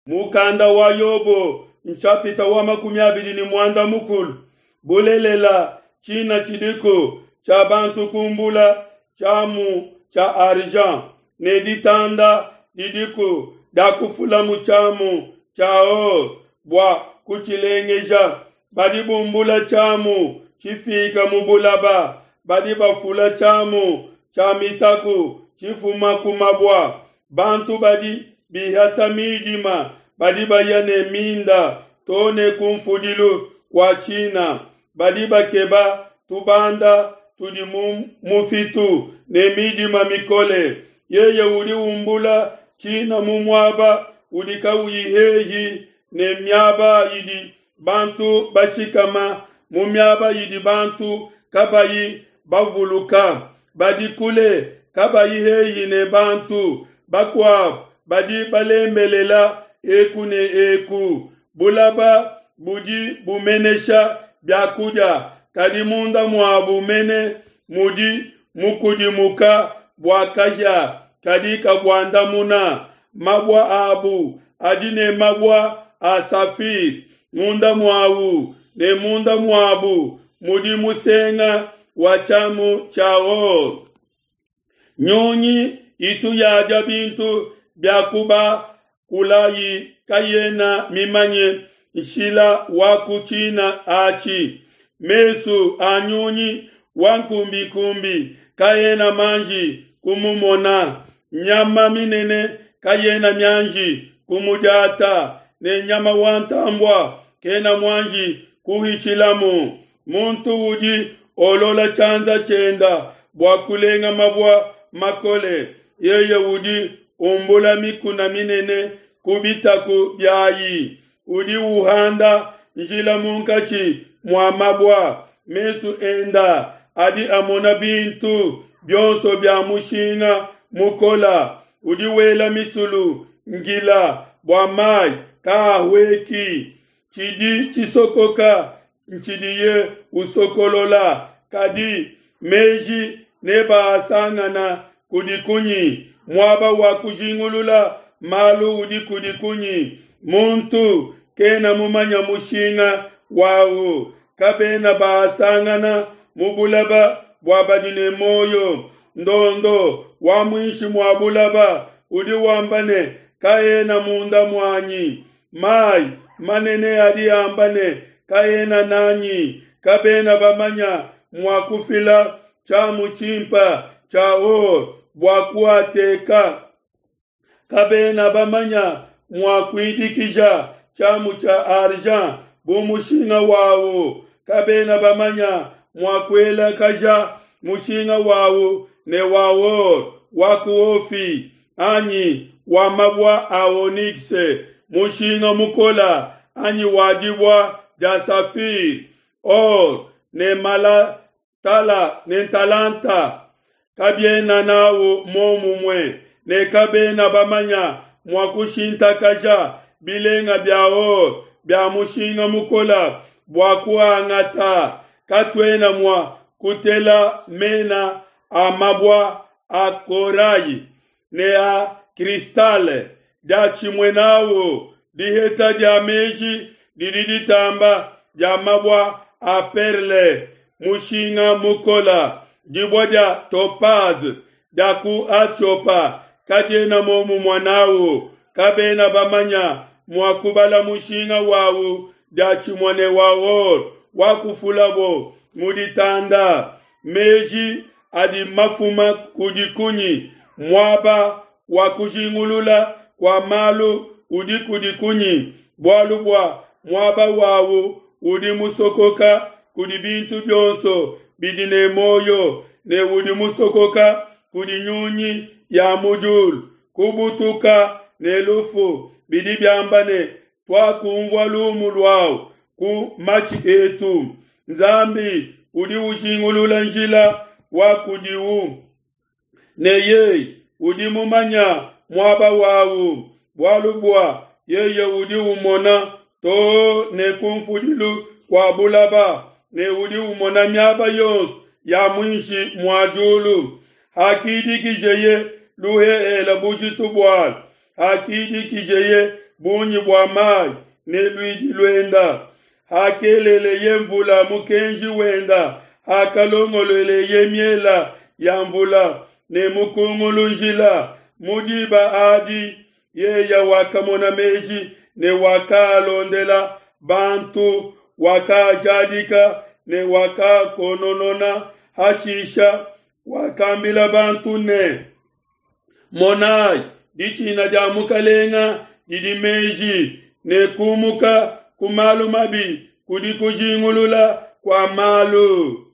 Mukanda wa Yobo nshapita wa 30. Bulelela, tshina tshidiku tshia bantu kumbula tshiamu tshia argent, ne ditanda didiku dia kufulamu tshiamu tshia or bua kutshilengeja. Badi bumbula tshiamu tshifika mu bulaba, badi bafula tshiamu tshia mitaku tshifuma ku mabua. Bantu badi bihata midima badi baya ne minda to ne ku mfudilu kua tshina, badi bakeba tubanda tudi mu mufitu ne midima mikole. Yeye udi umbula tshina mu muaba udi kauyi hehi ne miaba idi bantu bashikama, mu miaba idi bantu kabayi bavuluka, badi kule kabayi hehi ne bantu bakuabo, badi balembelela eku ne eku. Bulaba budi bumenesha biakudia, kadi munda muabu mene mudi mukudimuka bua kahia kadi kabuandamuna. Mabua abu adi ne mabua a safire munda muawu, ne munda muabu mudi musenga wa tshiamu tshia or. Nyunyi itu yadia bintu bia kubakulayi kayena mimanye nshila wa ku tshina atshi. Mesu a nyunyi wa nkumbikumbi kaena manji kumumona. Nyama minene kayena mianji kumudiata, ne nyama wa ntambua kena muanji kuhitshilamu. Muntu udi olola tshianza tshienda bua kulenga mabua makole, yeye udi umbula mikuna minene ku bitaku biayi, udi uhanda njila munkatshi mua mabua. Mesu enda adi amona bintu bionso bia mushinga mukola, udi wela misulu ngila bua mai kaahueki. Tshidi tshisokoka ntshidiye usokolola, kadi meji nebaasangana kudi kunyi? Muaba wa kujingulula malu udi kudi kunyi? Muntu kena mumanya mushinga wawu. Kabena baasangana mu bulaba bua badi ne muoyo. Ndondo wa muinshi mua bulaba udi wamba ne, Kaena munda muanyi. Mai manene adi amba ne, Kaena nanyi. Kabena bamanya mua kufila tshiamu tshimpa tshia or bua kuateka. Kabena bamanya mua kuidikija tshiamu tshia argent bu mushinga wawu. Kabena bamanya mua kuelakaja mushinga wawu ne wa or wa ku Ofi anyi wa mabua a onyx mushinga mukola anyi wa dibua dia safire, or ne malatala ne ntalanta. Kabiena nawu momumue ne kabena bamanya mua kushintakaja bilenga bia or bia mushinga mukola bua kuangata. Katuena mua kutela mena a mabua a korayi ne a kristale diatshimue nawu. Diheta dia meji didi ditamba dia mabua a perle mushinga mukola. Dibua dia topaz dia ku Atiopa kadiena momumue nawu. Kabena bamanya mua kubala mushinga wawu diatshimue ne wa or wa kufulabo mu ditanda. Meji adi mafuma kudi kunyi? Muaba wa kujingulula kua malu udi kudi kunyi? Bualu bua muaba wawu udi musokoka kudi bintu bionso bidi ne muoyo, ne udi musokoka kudi nyunyi ya mu diulu. Kubutuka ne lufu bidi biamba ne, Tuakumvua lumu luawu ku matshi etu. Nzambi udi ujingulula njila wa kudiwu, ne yeye udi mumanya muaba wawu, bualu bua yeye udi umona too ne ku mfudilu kua bulaba, ne udi umona miaba yonso ya muinshi mua diulu. Hakidikijeye luhehele bujitu bualu, hakidikijeye bungi bua mai ne luidi luenda, hakeleleye nvula mukenji wenda, hakalongolueleye miela ya nvula ne mukungulu njila, mu diba adi yeya wakamona meji ne wakaalondela bantu, wakaajadika ne wakaakononona. Hashisha wakambila bantu ne, Monai, ditshina dia Mukalenga didi meji, ne kumuka ku malu mabi kudi kujingulula kua malu.